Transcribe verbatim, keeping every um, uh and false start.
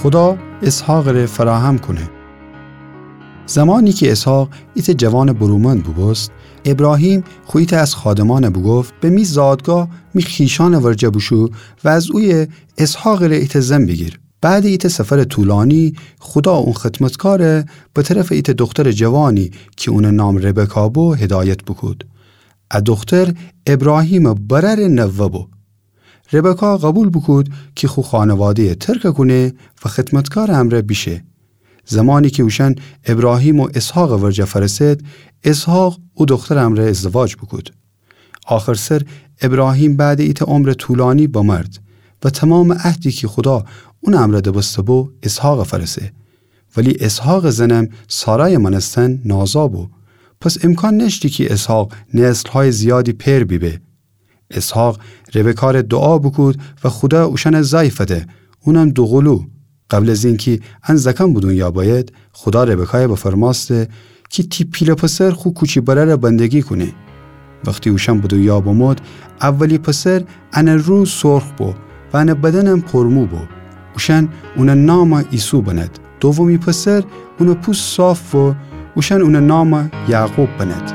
خودا اسحاقٚ ره فراهم کونه. زمانی کی اسحاق ایتأ جوانٚ برومند بوبوست، ابراهیم خو ایتأ از خادمأن بوگفت: به می زادگاه می خویشأنٚ ورجه بوشو و از اویه اسحاقٚ ره ایتأ زن بیگیر. بعدٚ ایتأ سفرٚ طولانی، خودا اون خدمتکار به طرفٚ ایتأ دخترٚ جوانی کی اونٚ نام ربکا بو، هدایت بوکود. ا دختر ابراهیمٚ برأرٚ نوه بو. ربکا قوبیل بوکود کی خو خانواده‌یه ترک کونه و خدمتکارٚ امرأ بیشه. زمانی کی اوشأن ابراهیم و اسحاقٚ ورجه فأرسد، اسحاق او دخترٚ امرأ ازدواج بوکود. آخرسر ابراهیم بعدٚ ایتأ عمرٚ طولانی بمرد و تومامٚ عهدی کی خودا اونٚ امرأ دبسته بو، اسحاقٚ فأرسه. ولی اسحاقٚ زنم سارایٚ مأنستن نازا بو. پس امکان نأشتی کی اسحاق نسل‌هایٚ زیادی پئر بیبه. اسحاق ربکا ره دوعا بوکود و خودا اوشأن زأی فده، اونم دوقلو. قبل از اینکی ان زأکأن به دونیا بأید، خودا ربکایه بفرمأسته کی تی پیله پسر خو کوچی برأرٚ بندگی کونه. وختی اوشأن به دونیا بمود، اولی پسر انٚ رو سرخ بو و انٚ بدنم پرمو بو. اوشأن اونٚ نام عیسو بند. دومی پسر، اونٚ پوست صاف بو، اوشأن اونٚ نام یعقوب بند.